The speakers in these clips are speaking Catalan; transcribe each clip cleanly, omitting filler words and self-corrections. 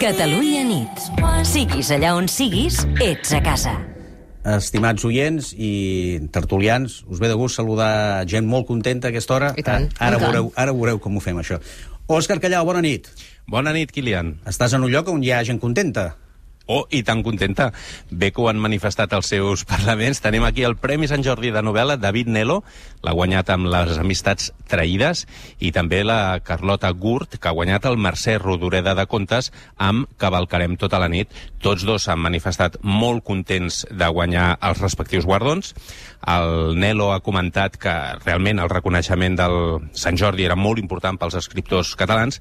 Catalunya nit. Siguis allà on siguis, ets a casa. Estimats oients i tertulians, us ve de gust saludar gent molt contenta a aquesta hora. I tant. Ara veureu com ho fem, això. Òscar Callau, bona nit. Bona nit, Kilian. Estàs en un lloc on hi ha gent contenta. Oh, i tan contenta. Bé que ho han manifestat als seus parlaments. Tenim aquí el Premi Sant Jordi de novel·la, David Nelo, l'ha guanyat amb Les amistats traïdes, i també la Carlota Gurt, que ha guanyat el Mercè Rodoreda de Contes amb Cavalcarem tota la nit. Tots dos s'han manifestat molt contents de guanyar els respectius guardons. El Nelo ha comentat que realment el reconeixement del Sant Jordi era molt important pels escriptors catalans,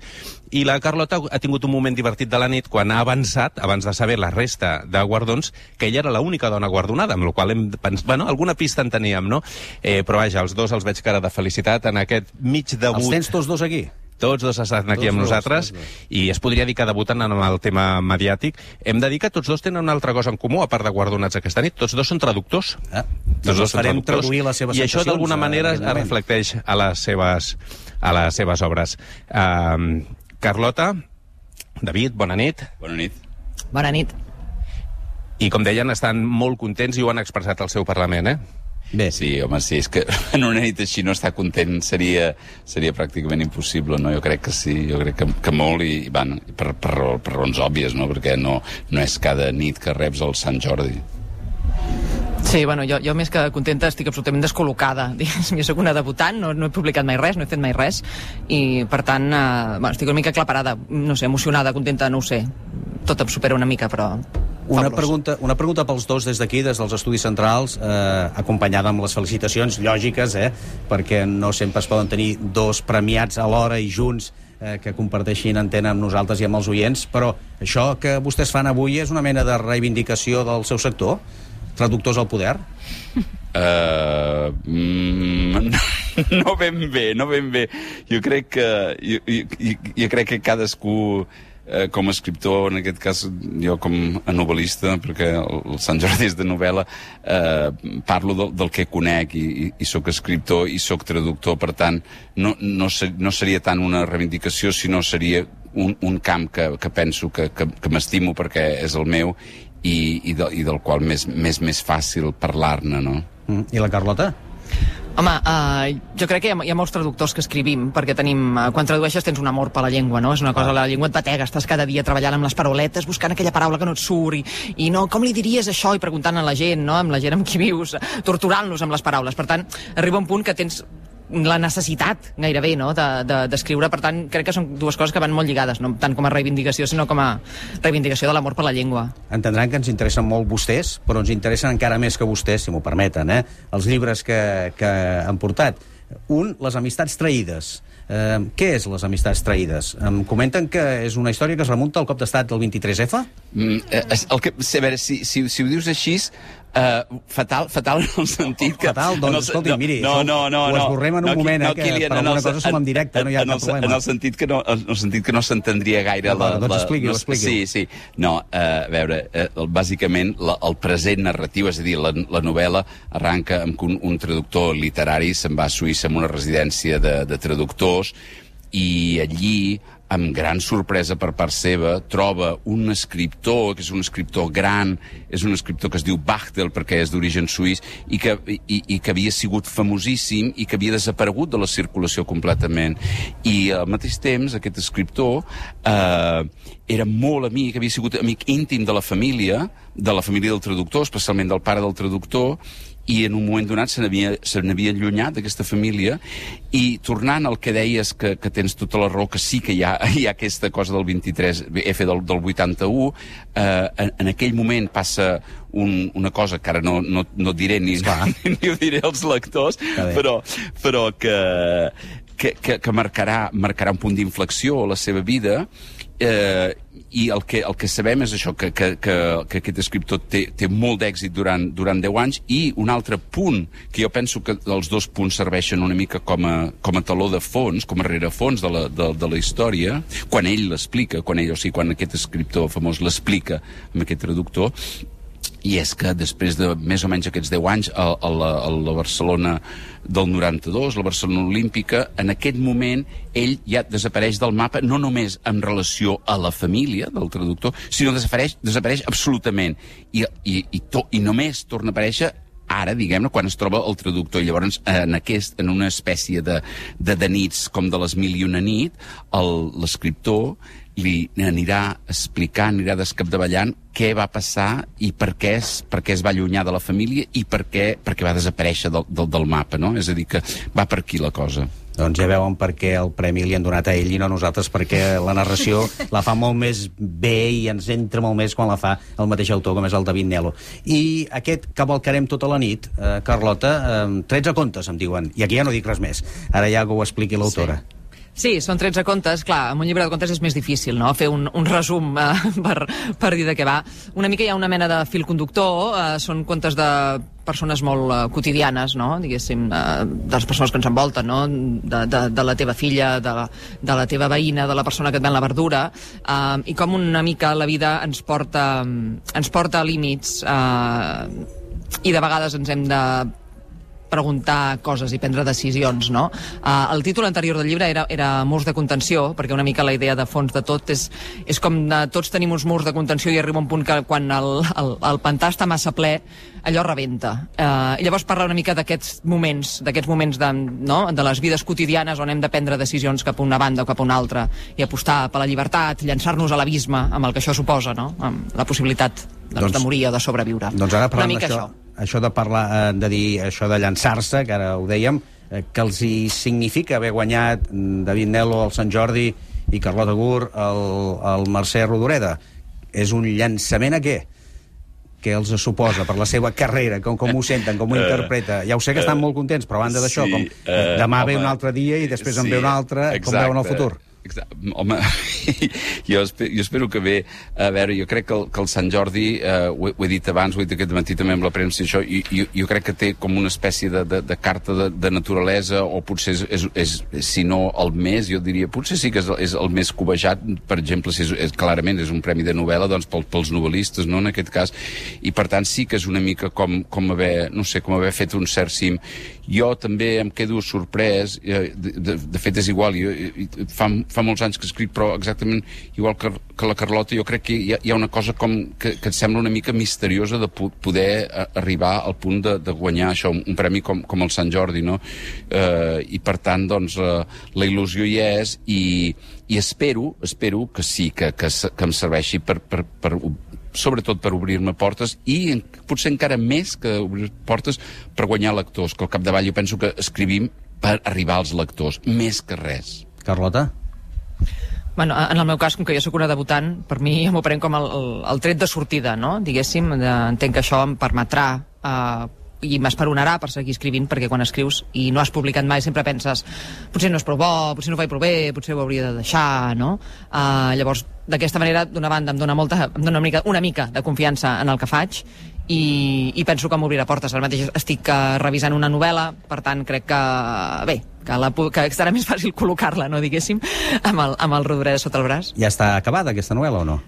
i la Carlota ha tingut un moment divertit de la nit quan ha avançat, abans de saber la resta de guardons, que ella era l'única dona guardonada, amb la qual hem pensat, bueno, alguna pista en teníem, no? Però vaja, els dos els veig cara de felicitat en aquest mig debut. Els tens tots dos aquí? Tots dos estan aquí amb nosaltres, i es podria dir que debuten en el tema mediàtic. Hem de dir que tots dos tenen una altra cosa en comú, a part de guardonats aquesta nit. Tots dos són traductors. Tots dos farem traduir les seves i això sensacions, d'alguna manera es reflecteix a les seves obres. Carlota, David, bona nit. Bona nit. Bona nit. I com deien, estan molt contents i ho han expressat al seu Parlament, eh? Bé. Sí, home, sí, és que en una nit així no estar content seria pràcticament impossible, no? Jo crec que sí, jo crec que molt, i van, per raons òbvies, no? Perquè no és cada nit que reps el Sant Jordi. Sí, bueno, jo més que contenta estic absolutament descol·locada. Jo soc una debutant, no he publicat mai res, no he fet mai res, i per tant, estic una mica aclaparada, no sé, emocionada, contenta, no ho sé. Tot em supera una mica, però... Una pregunta pels dos des d'aquí, des dels Estudis Centrals, acompanyada amb les felicitacions lògiques, perquè no sempre es poden tenir dos premiats alhora i junts que comparteixin antena amb nosaltres i amb els oients, però això que vostès fan avui és una mena de reivindicació del seu sector? Traductors al poder? No ben bé. Jo crec que cadascú, com a escriptor, en aquest cas jo com a novel·lista, perquè el Sant Jordi és de novel·la, parlo del que conec, i sóc escriptor i sóc traductor, per tant no seria tant una reivindicació, sinó seria un camp que penso que m'estimo perquè és el meu, i del qual més fàcil parlar-ne, no? I la Carlota? Home, jo crec que hi ha molts traductors que escrivim, perquè tenim... Quan tradueixes tens un amor per la llengua, no? És una cosa, la llengua et batega, estàs cada dia treballant amb les parauletes, buscant aquella paraula que no et surt, i no, com li diries això? I preguntant a la gent, no? Amb la gent amb qui vius, torturant-los amb les paraules. Per tant, arriba un punt que tens la necessitat, gairebé, no?, d'escriure. Per tant, crec que són dues coses que van molt lligades, no tant com a reivindicació, sinó com a reivindicació de l'amor per la llengua. Entendran que ens interessen molt vostès, però ens interessen encara més que vostès, si m'ho permeten, els llibres que han portat. Un, Les amistats traïdes. Què és Les amistats traïdes? Em comenten que és una història que es remunta al cop d'estat del 23F? A veure, si ho dius així, fatal en el sentit que... Fatal? Doncs escolti, miri, ho esborrem en un moment, que per alguna cosa som en directe, no hi ha cap problema. En el sentit que no s'entendria gaire... Doncs expliqui. Sí. No, a veure, bàsicament el present narratiu, és a dir, la novel·la arranca amb que un traductor literari se'n va a Suïssa amb una residència de traductors, i allí, amb gran sorpresa per part seva, troba un escriptor, que és un escriptor gran, és un escriptor que es diu Bachtel, perquè és d'origen suís, i que havia sigut famosíssim i que havia desaparegut de la circulació completament. I al mateix temps, aquest escriptor era molt amic, havia sigut amic íntim de la família del traductor, especialment del pare del traductor, i en un moment donat se n'havia allunyat d'aquesta família, i tornant al que deies, que tens tota la raó, que sí que hi ha aquesta cosa del 23F del 81, en aquell moment passa una cosa que ara no diré ni ho diré als lectors, però que marcarà un punt d'inflexió a la seva vida, i el que sabem és això, que aquest escriptor té molt d'èxit durant 10 anys, i un altre punt, que jo penso que els dos punts serveixen una mica com a taló de fons, com a rerefons de la història, quan ell l'explica, quan aquest escriptor famós l'explica amb aquest traductor, i és que després de més o menys aquests 10 anys a la Barcelona del 92, la Barcelona Olímpica, en aquest moment ell ja desapareix del mapa, no només en relació a la família del traductor, sinó desapareix absolutament i només torna a aparèixer ara, diguem-ne, quan es troba el traductor. I llavors, en una espècie de nits com de les 1001 nit, l'escriptor li anirà explicant, anirà descapdavallant què va passar i per què es va allunyar de la família i per què va desaparèixer del mapa, no? És a dir, que va per aquí la cosa. Doncs ja veuen per què el premi li han donat a ell i no a nosaltres, perquè la narració la fa molt més bé i ens entra molt més quan la fa el mateix autor, com és el David Nelo. I aquest cavalcarem tota la nit, Carlota, 13 contes, em diuen, i aquí ja no dic res més. Ara ja que ho expliqui l'autora. Sí, són 13 contes. Clar, amb un llibre de contes és més difícil, no?, fer un resum per dir de què va. Una mica hi ha una mena de fil conductor, són contes de persones molt quotidianes, no?, diguéssim, de les persones que ens envolten, no?, de la teva filla, de la teva veïna, de la persona que et ven la verdura, i com una mica la vida ens porta a límits, i de vegades ens hem de preguntar coses i prendre decisions, no? El títol anterior del llibre era Murs de contenció, perquè una mica la idea de fons de tot és com tots tenim uns murs de contenció i arriba un punt que quan el pantà està massa ple, allò rebenta. I llavors parla una mica d'aquests moments de les vides quotidianes on hem de prendre decisions cap a una banda o cap a una altra i apostar per la llibertat, llançar-nos a l'abisme amb el que això suposa, no?, amb la possibilitat de morir o de sobreviure. Doncs ara parlant això de parlar, de dir això de llançar-se, que ara ho dèiem, que els hi significa haver guanyat David Nelo al Sant Jordi i Carlota Gur al Mercè Rodoreda. És un llançament a què? Què els suposa per la seva carrera, com ho senten, com ho interpreta? Ja ho sé que estan molt contents, però a banda d'això, com demà ve un altre dia i després en ve un altre, com veuen el futur? Home, jo espero que bé. A veure, jo crec que el Sant Jordi, ho he dit abans, ho he dit aquest matí també amb la premsa, això, jo crec que té com una espècie de carta de naturalesa, o potser si no el més, jo diria, potser sí que és el més cobejat, per exemple, si clarament és un premi de novel·la, doncs pels novel·listes, no?, en aquest cas, i per tant sí que és una mica com haver fet un cert cim. Jo també em quedo sorprès, de fet és igual, fa molts anys que escric, però exactament igual que la Carlota, jo crec que hi ha una cosa com que et sembla una mica misteriosa de poder arribar al punt de guanyar això, un premi com el Sant Jordi, no? I per tant, doncs, la il·lusió hi és, i espero que sí, que em serveixi sobretot per obrir-me portes, i potser encara més que obrir portes per guanyar lectors, que al capdavall jo penso que escrivim per arribar als lectors, més que res. Carlota? Bueno, en el meu cas, com que jo sóc una debutant, per mi m'ho prenc com el tret de sortida, no?, diguéssim. Entenc que això em permetrà i m'esperonarà per seguir escrivint, perquè quan escrius i no has publicat mai sempre penses potser no és prou bo, potser no ho faig prou bé, potser ho hauria de deixar, no? Llavors, d'aquesta manera, d'una banda, em dona una mica de confiança en el que faig, i penso que m'obrirà portes. Ara mateix estic revisant una novel·la, per tant crec que, bé, que serà més fàcil col·locar-la, no, diguéssim, amb el Rodoreda sota el braç. Ja està acabada aquesta novel·la o no?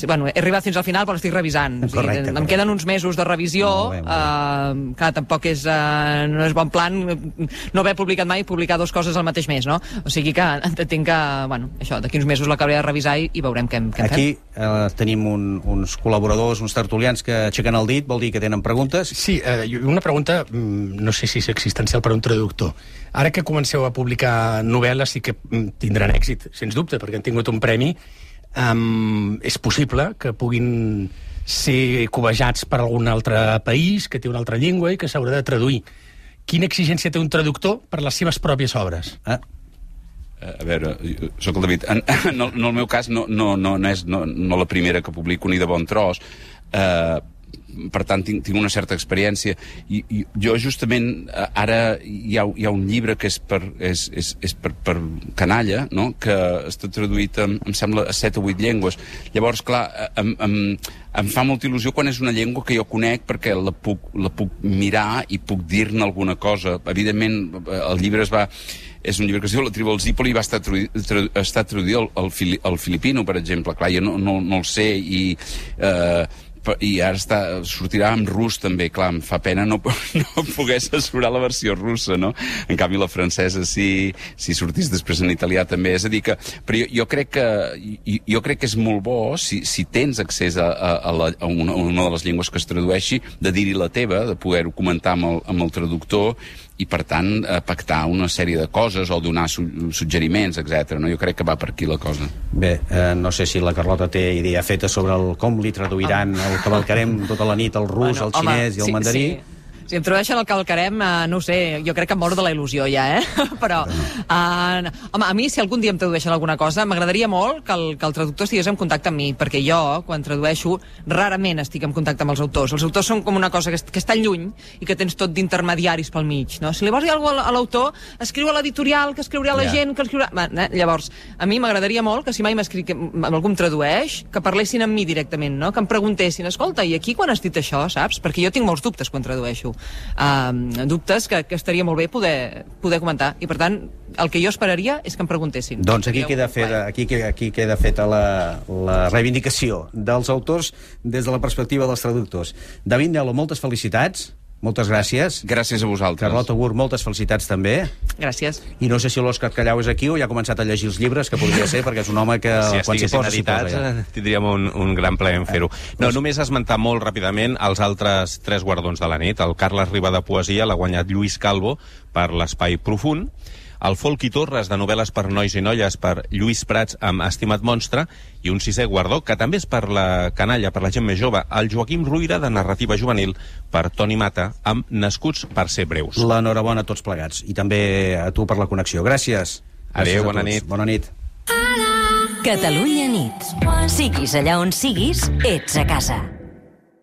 Bueno, he arribat fins al final, però l'estic revisant. Correcte. Em queden uns mesos de revisió. Clar, tampoc no és bon plan no haver publicat mai, publicar dues coses al mateix mes, no? O sigui que entenc que, bueno, això, d'aquí uns mesos l'acabaré de revisar i veurem què en fem. Aquí tenim uns col·laboradors, uns tertulians que aixequen el dit, vol dir que tenen preguntes? Sí, una pregunta, no sé si és existencial per a un traductor. Ara que comenceu a publicar novel·les sí que tindran èxit, sens dubte, perquè han tingut un premi. És possible que puguin ser cobejats per algun altre país, que té una altra llengua i que s'haurà de traduir. Quina exigència té un traductor per les seves pròpies obres? A veure, sóc el David. En el meu cas no és la primera que publico ni de bon tros. Per tant, tinc una certa experiència. I jo, justament, ara hi ha un llibre que és per canalla, no?, que està traduït, em sembla, a 7 o 8 llengües. Llavors, clar, em fa molta il·lusió quan és una llengua que jo conec, perquè la puc mirar i puc dir-ne alguna cosa. Evidentment, el llibre és un llibre que es diu La tribu del Zípoli i va estar traduït al filipino, per exemple. Clar, jo no el sé, i ara sortirà en rus també, clar, em fa pena no poder assessorar la versió russa, no? En canvi la francesa si sortís després en italià també, és a dir que, però jo crec que és molt bo si tens accés a una de les llengües que es tradueixi, de dir-hi la teva, de poder-ho comentar amb el traductor i, per tant, pactar una sèrie de coses o donar suggeriments, etc. No? Jo crec que va per aquí la cosa. Bé, no sé si la Carlota té idea feta sobre com li traduiran el cavalcarem tota la nit, el rus, el xinès i el mandarí. Sí. Si em tradueixen el cavalcarem, no ho sé, jo crec que em moro de la il·lusió ja, però, home, a mi, si algun dia em tradueixen alguna cosa, m'agradaria molt que el traductor estigués en contacte amb mi, perquè jo, quan tradueixo, rarament estic en contacte amb els autors. Els autors són com una cosa que està lluny i que tens tot d'intermediaris pel mig, no? Si li vols dir alguna cosa a l'autor, escriu a l'editorial, que escriurà la gent, que escriurà... Llavors, a mi m'agradaria molt que si mai algú em tradueix, que parlessin amb mi directament, no? Que em preguntessin, escolta, i aquí quan has dit això, saps? Perquè jo tinc molts dubtes quan tradueixo. Dubtes que estaria molt bé poder comentar, i per tant el que jo esperaria és que em preguntessin. Doncs aquí queda feta la reivindicació dels autors des de la perspectiva dels traductors. David Nelo, moltes felicitats. Moltes gràcies. Gràcies a vosaltres. Carlota Gurt, moltes felicitats també. Gràcies. I no sé si l'Òscar Callau és aquí o ja ha començat a llegir els llibres, que podria ser, perquè és un home que quan s'hi posa, tindríem un gran plaer en fer-ho. No, només esmentar molt ràpidament els altres 3 guardons de la nit. El Carles Riba de Poesia l'ha guanyat Lluís Calvo per l'Espai Profund, el Folqui Torres de novel·les per nois i noies per Lluís Prats amb Estimat monstre, i un 6è guardó, que també és per la canalla, per la gent més jove, el Joaquim Ruïra de narrativa juvenil per Toni Mata amb Nascuts per ser breus. L'enhorabona a tots plegats, i també a tu per la connexió. Gràcies. Adéu, bona nit. Bona nit. Catalunya nit. Siguis allà on siguis, ets a casa.